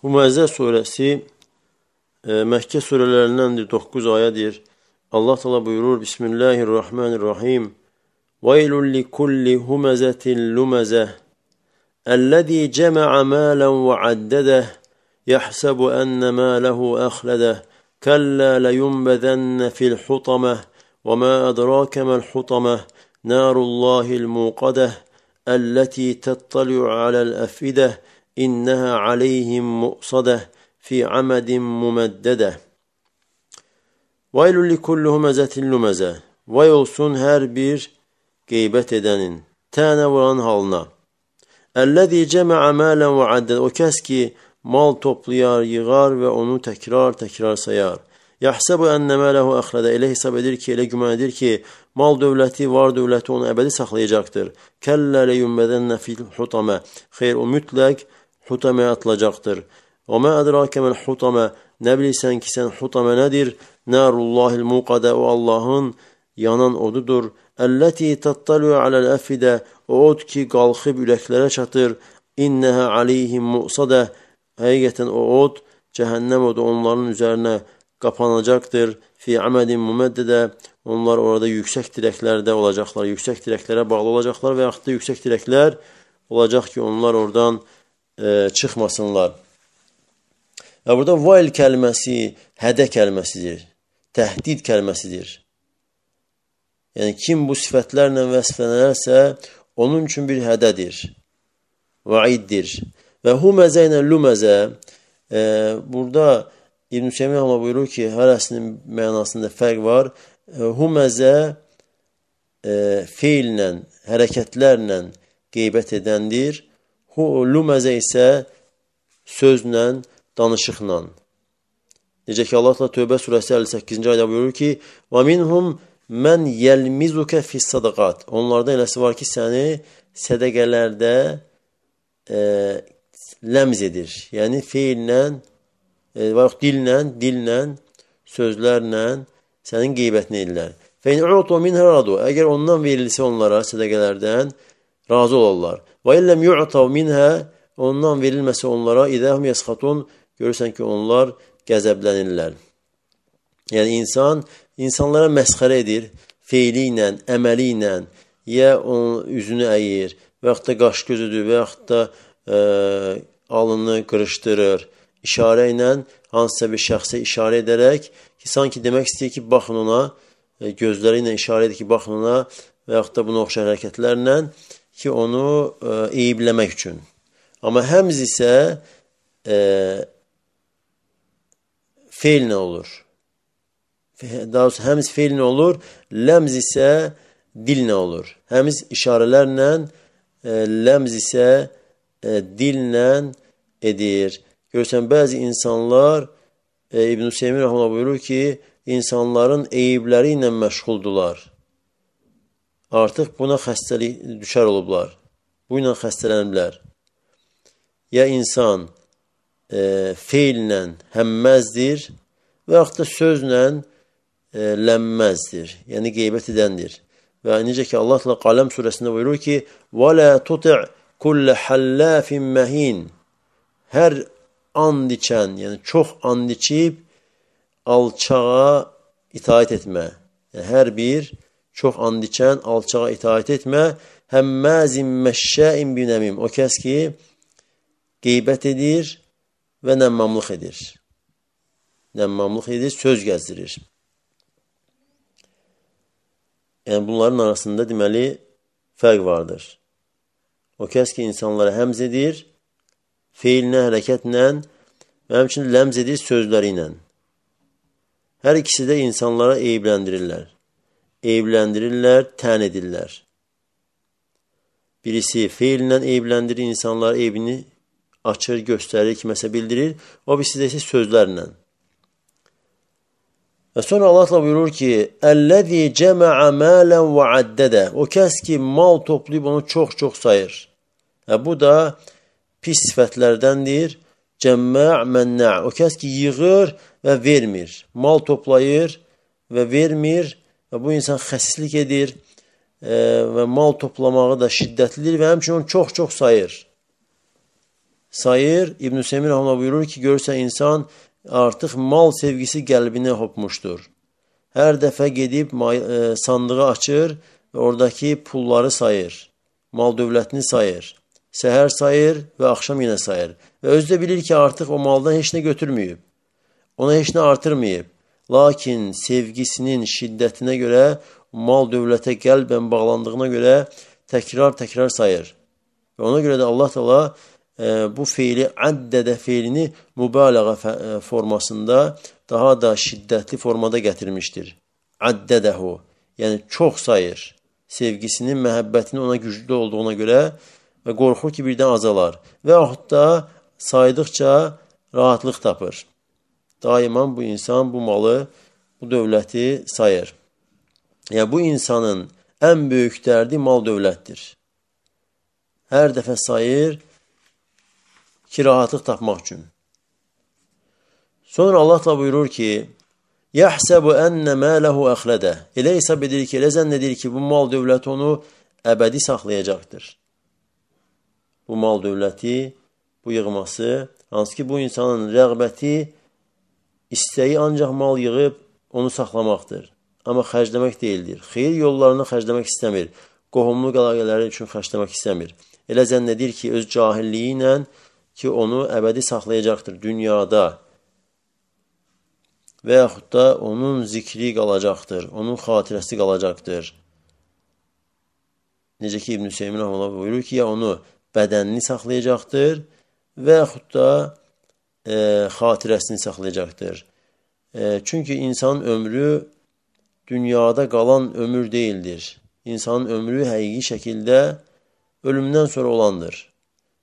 Hümezə surəsi Məkkə surələrindəndir, 9 ayədir. Allah Teala buyurur: Bismillahirrahmanirrahim. Veylun likulli humezetin lumezeh ellezî cema'a mâlen ve addedeh yahsabu enne mâlehu ahledeh kella leyunbezenne fil hutameh ve mâ edrake mel hutameh narullahil muqadeh elleti tettali'u alel efideh inneha aleyhim mu'sadeh fi amedin mumeddedeh. Veylun likulli humezetin lumezeh. Vay olsun her bir qeybət edənin, tənə vuran halına. Ellezî cema'a mâlen ve added. O kəs ki, mal toplayar, yığar və onu təkrar sayar. Yahsabu enne mâlehu axlada. Elə hesab edir ki, elə güman edir ki, mal dövləti, var dövləti onu əbədi saxlayacaqdır. Kəllə leyunbedenne fil hutamə. Xeyr, o mütləq hutamə atılacaqdır. Və mə ədrake məl hutamə. Nə bilirsən ki, sən hutamə nədir? Narullahil muqadə. O Allahın yanan odudur. Əlləti təttali'u aləl əfidə. O od ki, qalxıb ürəklərə çatır. İnnəhə aleyhim mu'sadə. Həqiqətən o od, cəhənnəm odu onların üzərinə qapanacaqdır. Fi amədin muməddidə. Onlar orada yüksək dirəklərdə olacaqlar. Yüksək dirəklərə bağlı olacaqlar və yaxud da yüksək dirəklər olacaq ki, onlar oradan çıxmasınlar. Və burada vayl kəlməsi hədə kəlməsidir. Təhdid kəlməsidir. Yəni, kim bu sifətlərlə vəsflənərsə, onun üçün bir hədədir, vaiddir. Və huməzə ilə luməzə, burada İbn-i Seymiyyə buyurur ki, hərəsinin mənasında fərq var. Huməzə feillə, hərəkətlərlə qeybət edəndir. Luməzə isə sözlə, danışıqla. Necə ki, Allah Tövbə surəsi 58-ci ayda buyurur ki, وَمِنْهُمْ mən yəlmizuke fis-sadaqat. Onlardan eləsi var ki, səni sədəqələrdə ləmz edir. Yəni, feillə, dillə, sözlərlə sənin qeybətini edirlər. فَاِنْ عُعْتُوا مِنْهَ رَضُوا. Əgər ondan verilsə onlara sədəqələrdən razı olarlar. وَاِلَّمْ يُعْتَوْ مِنْهَا. Ondan verilməsə onlara اِذَهُمْ يَسْخَطُونَ. Görürsən ki, onlar qəzəblənirlər. Yəni, insanlara məsxərə edir, feili ilə, əməli ilə, ya onun üzünü əyir, və yaxud da qaş gözüdür, və yaxud da alını qırışdırır, işarə ilə, hansısa bir şəxsə işarə edərək, ki, sanki demək istəyir ki, baxın ona, gözləri ilə işarə edir ki, baxın ona, və yaxud da buna oxşar hərəkətlərlə, ki, onu eyibləmək üçün. Amma həmz isə feillə olur. Daha doğrusu həmz feillə olur, ləmz isə dillə olur. Həmz işarələrlə, ləmz isə dillə edir. Görürsən, bəzi insanlar, İbn-i Seymiyyə rəhməhullah buyurur ki, insanların eyibləri ilə məşğuldular. Artıq buna xəstəlik düşər olublar. Bu ilə xəstələniblər. Ya insan feillə həmməzdir və yaxud da sözlə lənməzdir. Yəni, qeybət edəndir. Və necə ki, Allah Qaləm surəsində buyurur ki, وَلَا تُطِعْ كُلَّ حَلَّافٍ مَهِينٍ. Hər and içən, yəni çox and içib, alçağa itaət etmə. Yəni, hər bir çox and içən, alçağa itaət etmə. Həmməzin məşşəin binəmim. O kəs ki, qeybət edir və nəmmamlıq edir. Nəmmamlıq edir, söz gəzdirir. Yəni, bunların arasında deməli fərq vardır. O kəs ki, insanlara həmz edir, feilinə, hərəkətlə və həmçinin ləmz edir sözləri ilə. Hər ikisi də insanlara eybləndirirlər. Eybləndirirlər, tən edirlər. Birisi feilinlə eybləndirir, insanlar eybini açır, göstərir, kiməsə bildirir. O birisi də isə sözlərlə. Və sonra Allah buyurur ki, Əl-ləzi cəmə'a mələn və addədə. O kəs ki, mal toplayıb onu çox-çox sayır. Bu da pis sifətlərdəndir. Cəmə' mənə'. O kəs ki, yığır və vermir. Mal toplayır və vermir. Və bu insan xəsislik edir. Və mal toplamağı da şiddətlidir və həmçinin onu çox-çox sayır. sayır. İbn-i Semir Rahman buyurur ki, görürsə insan artıq mal sevgisi qəlbinə hopmuşdur. Hər dəfə gedib sandığı açır və oradakı pulları sayır. Mal dövlətini sayır. Səhər sayır və axşam yenə sayır. Və özü də bilir ki, artıq o maldan heç nə götürməyib. Ona heç nə artırmayıb. Lakin sevgisinin şiddətinə görə, mal dövlətə qəlbən bağlandığına görə təkrar sayır. Və ona görə də Allah Teala bu feili addədə feilini mübalağa formasında daha da şiddətli formada gətirmişdir. Addədəhu, yəni çox sayır. Sevgisinin, məhəbbətinin ona güclü olduğuna görə və qorxur ki, birdən azalar. Və yaxud da saydıqca rahatlıq tapır. Daima bu insan bu malı, bu dövləti sayır. Yəni bu insanın ən böyük dərdi mal dövlətdir. Hər dəfə sayır ki, rahatlıq tapmaq üçün. Sonra Allah da buyurur ki, yəhsəbu ənnə mələhu əxlədə. Elə hesab edir ki, elə zənn edir ki, bu mal dövləti onu əbədi saxlayacaqdır. Bu mal dövləti, bu yığması, hansı ki, bu insanın rəğbəti, istəyi ancaq mal yığıb onu saxlamaqdır. Amma xərcləmək deyildir. Xeyir yollarını xərcləmək istəmir. Qohumluq əlaqələri üçün xərcləmək istəmir. Elə zənn edir ki, öz cahilliyi ilə ki, onu əbədi saxlayacaqdır dünyada. Və yaxud da onun zikri qalacaqdır, onun xatirəsi qalacaqdır. Necə ki, İbn-i Hüseymin Rahmanullah buyurur ki, ya onu bədənini saxlayacaqdır və yaxud da xatirəsini saxlayacaqdır. Çünki insanın ömrü dünyada qalan ömür deyildir. İnsanın ömrü həqiqi şəkildə ölümdən sonra olandır.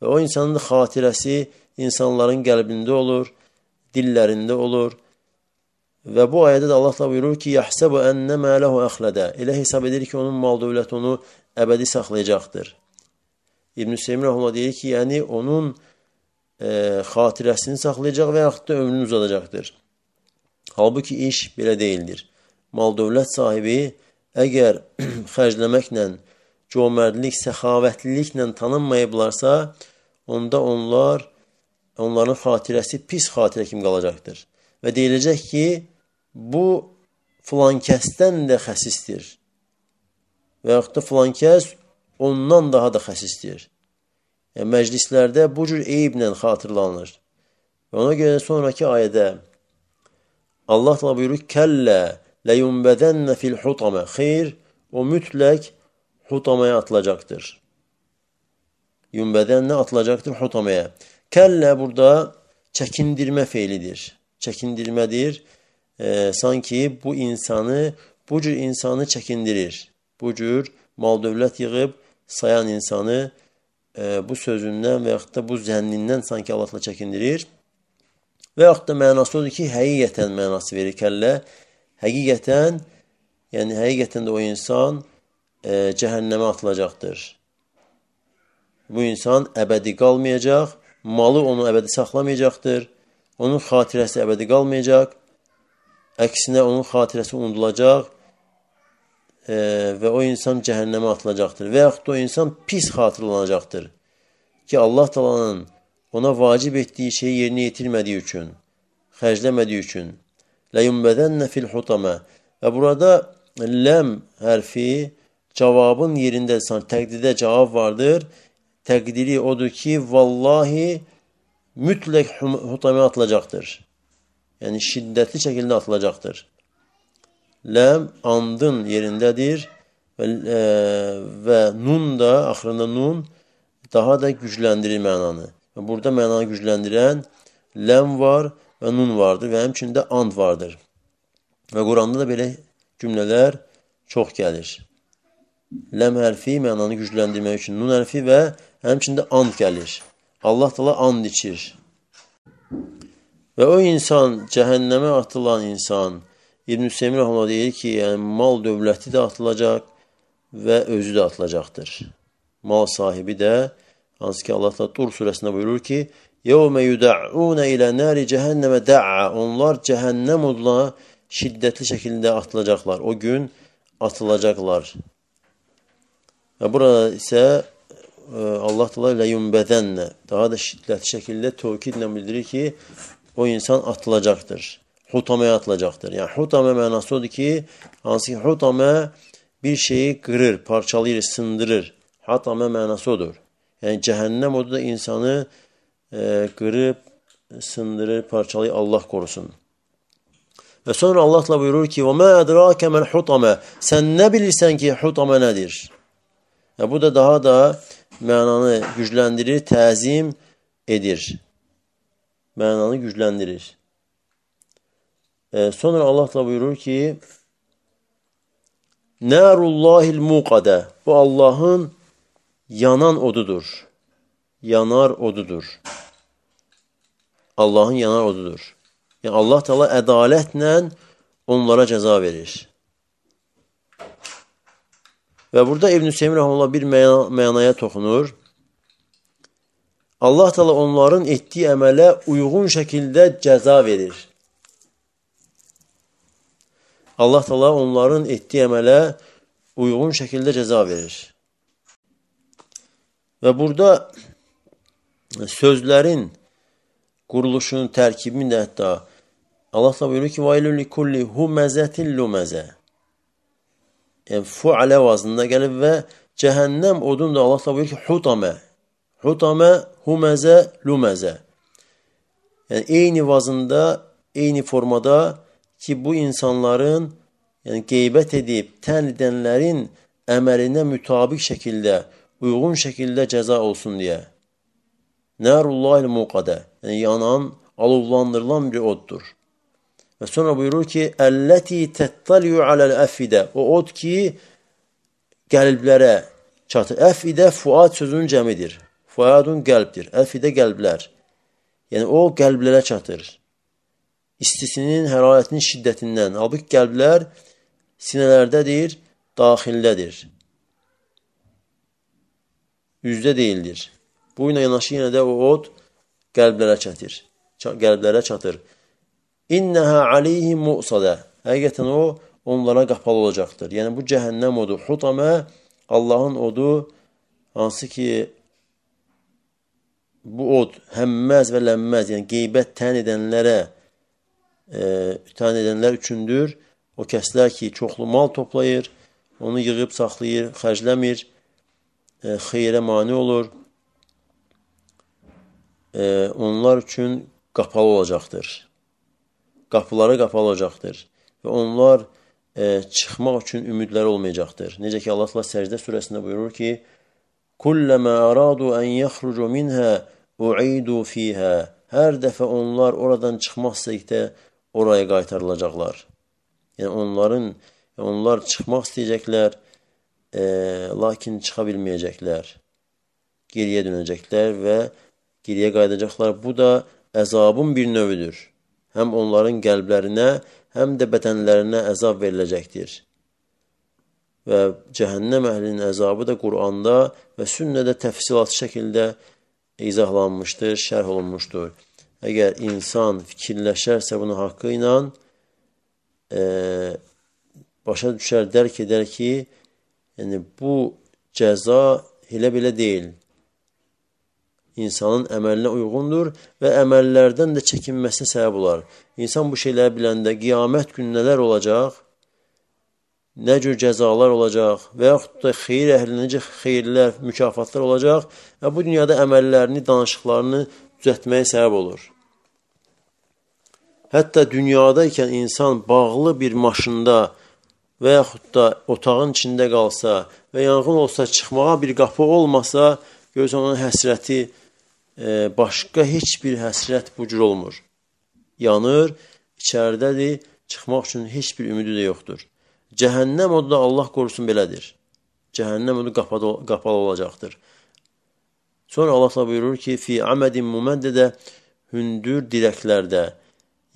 Və o insanın xatirəsi insanların qəlbində olur, dillərində olur. Və bu ayədə də Allah da buyurur ki, yəhsəbu ənnə mələhu əxlədə. Elə hesab edir ki, onun mal dövləti onu əbədi saxlayacaqdır. İbn-i Hüseymin Rahmanullah deyir ki, yəni onun xatirəsini saxlayacaq və yaxud da ömrünü uzadacaqdır. Halbuki iş belə deyildir. Mal dövlət sahibi əgər xərcləməklə, cömərdlik, səxavətliliklə tanınmayıblarsa, onda onların xatirəsi pis xatirə kimi qalacaqdır. Və deyiləcək ki, bu filan kəsdən də xəsisdir. Və yaxud da filan kəs ondan daha da xəsisdir. Yəni, məclislərdə bu cür eyiblə xatırlanır. Və ona görə sonraki ayədə Allah da buyurur, kəllə ləyumbədənnə fil xutamə. Xeyr, o mütləq xutamaya atılacaqdır. Yumbədənnə atılacaqdır xutamaya. Kəllə burada çəkindirmə feilidir. Çəkindirmədir. Sanki bu cür insanı çəkindirir. Bu cür mal dövlət yığıb sayan insanı bu sözündən və yaxud da bu zənnindən sanki Allahla çəkindirir. Və yaxud da mənası odur ki, həqiqətən mənası verir kəllə. Həqiqətən də o insan cəhənnəmə atılacaqdır. Bu insan əbədi qalmayacaq, malı onu əbədi saxlamayacaqdır. Onun xatirəsi əbədi qalmayacaq, əksinə onun xatirəsi unudulacaq və o insan cəhənnəmə atılacaqdır. Və yaxud da o insan pis xatırlanacaqdır ki, Allah Taala'nın ona vacib etdiyi şeyi yerinə yetirmədiyi üçün, xərcləmədiyi üçün. Ləyumbədənnə fil xutamə. Və burada ləm hərfi cavabın yerində, təqdirdə cavab vardır. Təqdiri odur ki, vallahi mütləq xutamaya atılacaqdır. Yəni, şiddətli şəkildə atılacaqdır. Ləm, andın yerindədir və nun da, axırında nun, daha da gücləndirir mənanı. Və burada mənanı gücləndirən ləm var və nun vardır və həmçində and vardır. Və Quranda da belə cümlələr çox gəlir. Ləm hərfi mənanı gücləndirmək üçün nun hərfi və həmçində and gəlir. Allah Teala and içir. Və o insan, cəhənnəmə atılan insan, İbn-i Hüseymin Rahmanullah deyir ki, yəni mal dövləti də atılacaq və özü də atılacaqdır. Mal sahibi də, hansı ki Allah Teala Tur surəsində buyurur ki, يَوْمَ يُدَعُونَ إِلَى نَارِ جَهَنَّمَ دَعَّ. Onlar cəhənnəm oduna şiddətli şəkildə atılacaqlar. O gün atılacaqlar. Və burada isə Allah Teala ilə yunbədənlə daha da şiddətli şəkildə tövkidlə bildirir ki, o insan atılacaqdır. Hutamaya atılacaqdır. Yəni hutame mənası odur ki, hansı ki hutame bir şeyi qırır, parçalayır, sındırır. Hatame mənası odur. Yəni cəhənnəm odur da insanı qırıb, sındırır, parçalayır, Allah korusun. Və sonra Allah Teala buyurur ki, وَمَا أَدْرَاكَ مَنْ حُطَمَ Sən nə bilirsən ki, hutame nədir? Bu da daha da mənanı gücləndirir, təzim edir. Mənanı gücləndirir. Sonra Allah Teala buyurur ki, Nərullahil muqadə Bu Allahın yanan odudur. Yanar odudur. Allahın yanar odudur. Yəni Allah Teala ədalətlə onlara cəza verir. Və burada İbn-i Hüseyin Rəhməllah bir mənaya toxunur. Allah Teala onların etdiyi əmələ uyğun şəkildə cəza verir. Allah Teala onların etdiyi əmələ uyğun şəkildə cəza verir. Və burada sözlərin quruluşunun, tərkibini də hətta Allah Teala buyurur ki, وَيْلُ لِكُلِّ هُمَزَةٍ لُمَزَةٍ Yəni, fualə vazında gəlib və cəhənnəm odun da Allah Teala buyurur ki, hutame. Hutame, huməzə, luməzə. Yəni, eyni vazında, eyni formada ki, bu insanların qeybət edib, tən edənlərin əməlinə mütabiq şəkildə, uyğun şəkildə cəza olsun deyə. Nərullahil muqadə Yəni, yanan, alovlandırılan bir oddur. Və sonra buyurur ki, Əlləti təttəliyu aləl əfidə O od ki, qəlblərə çatır. Əfidə fuad sözünün cəmidir. Fuadun qəlbdir. Əfidə qəlblər. Yəni, o qəlblərə çatır. İstisinin, hərarətinin şiddətindən. Halbuki qəlblər sinələrdədir, daxildədir. Üzdə deyildir. Bu ilə yanaşı yenə də o od qəlblərə çatır. İnnəhə aleyhim mu'sadə Həqiqətən o, onlara qapalı olacaqdır. Yəni, bu cəhənnəm odu, hutame, Allahın odu, hansı ki, bu od həmməz və lənməz, yəni qeybət tən edənlər üçündür. O kəslər ki, çoxlu mal toplayır, onu yığıb, saxlayır, xərcləmir, xeyrə mane olur. Onlar üçün qapalı olacaqdır. Qapıları qapalı olacaqdır. Və onlar çıxmaq üçün ümidləri olmayacaqdır. Necə ki, Allah Səcdə surəsində buyurur ki, Kulləmə əradu ən yəxrucu minhə u'idu fiyhə Hər dəfə onlar oradan çıxmaq istəyikdə oraya qaytarılacaqlar. Yəni, onlar çıxmaq istəyəcəklər, lakin çıxa bilməyəcəklər. Geriyə dönəcəklər və geriyə qayıdacaqlar. Bu da əzabın bir növüdür. Həm onların qəlblərinə, həm də bədənlərinə əzab veriləcəkdir. Və cəhənnəm əhlinin əzabı da Quranda və sünnədə təfsilatlı şəkildə izahlanmışdır, şərh olunmuşdur. Əgər insan fikirləşərsə bunu haqqı ilə başa düşər, dərk edər ki, yəni bu cəza elə belə deyil. İnsanın əməlinə uyğundur və əməllərdən də çəkinməsinə səbəb olar. İnsan bu şeyləri biləndə qiyamət günü nələr olacaq, nə cür cəzalar olacaq və yaxud da xeyir əhlinə necə xeyirlər, mükafatlar olacaq və bu dünyada əməllərini, danışıqlarını düzəltməyə səbəb olur. Hətta dünyadaykən insan bağlı bir maşında və yaxud da otağın içində qalsa və yanğın olsa, çıxmağa bir qapı olmasa, görürsən onun həsrəti, başqa heç bir həsrət bu cür olmur. Yanır, içəridədir, çıxmaq üçün heç bir ümidi də yoxdur. Cəhənnəm odu da Allah qorusun belədir. Cəhənnəm odu qapalı olacaqdır. Sonra Allah buyurur ki, fi amədin müməddə hündür dirəklərdə,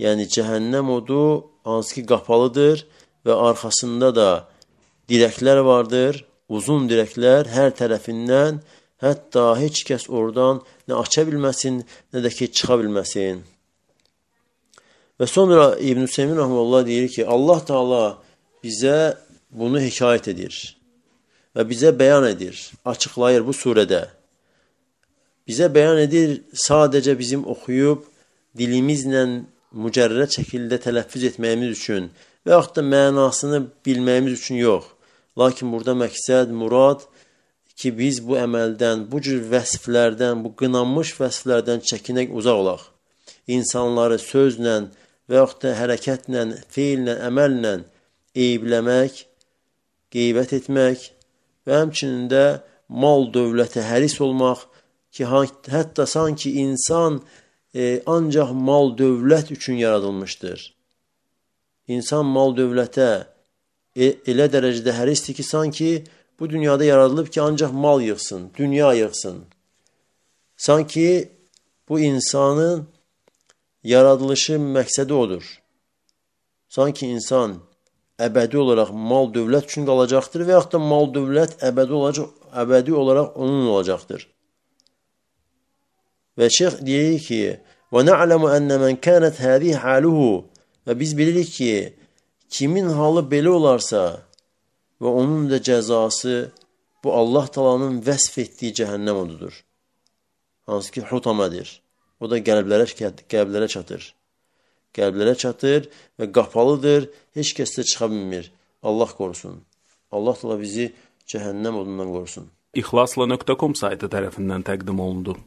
yəni cəhənnəm odu hansı ki qapalıdır və arxasında da dirəklər vardır, uzun dirəklər hər tərəfindən, hətta heç kəs oradan nə aça bilməsin, nə də ki, çıxa bilməsin. Və sonra İbn-i Hüseyin Rəhməllah deyir ki, Allah Teala bizə bunu hekayət edir və bizə bəyan edir, açıqlayır bu surədə. bizə bəyan edir sadəcə bizim oxuyub dilimizlə mücərrəd şəkildə tələffüz etməyimiz üçün və yaxud da mənasını bilməyimiz üçün yox. Lakin burada məqsəd, murad ki, biz bu əməldən, bu cür vəsflərdən, bu qınanmış vəsflərdən çəkinək, uzaq olaq. İnsanları sözlə və yaxud da hərəkətlə, feillə, əməllə eyibləmək, qeybət etmək və həmçinin də mal dövlətə həris olmaq ki, hətta sanki insan ancaq mal dövlət üçün yaradılmışdır. İnsan mal dövlətə elə dərəcədə hərisdir ki, sanki bu dünyada yaradılıb ki, ancaq mal yığsın, dünya yığsın. Sanki bu insanın yaradılışı məqsədi odur. Sanki insan əbədi olaraq mal dövlət üçün qalacaqdır və yaxud da mal dövlət əbədi olaraq onun olacaqdır. Və şeyx deyir ki, وَنَعْلَمُ أَنَّ مَنْ كَانَتْ هَذِهِ حَالُهُ və biz bilirik ki, kimin halı belə olarsa və onun da cəzası bu Allah Taala'nın vəsf etdiyi cəhənnəm odudur. Hansı ki, hutamədir. O da qəlblərə çatır. Qəlblərə çatır və qapalıdır, heç kəs də çıxa bilmir. Allah qorusun. Allah Taala bizi cəhənnəm odundan qorusun. İxlasla.com saytı tərəfindən təqdim olundu.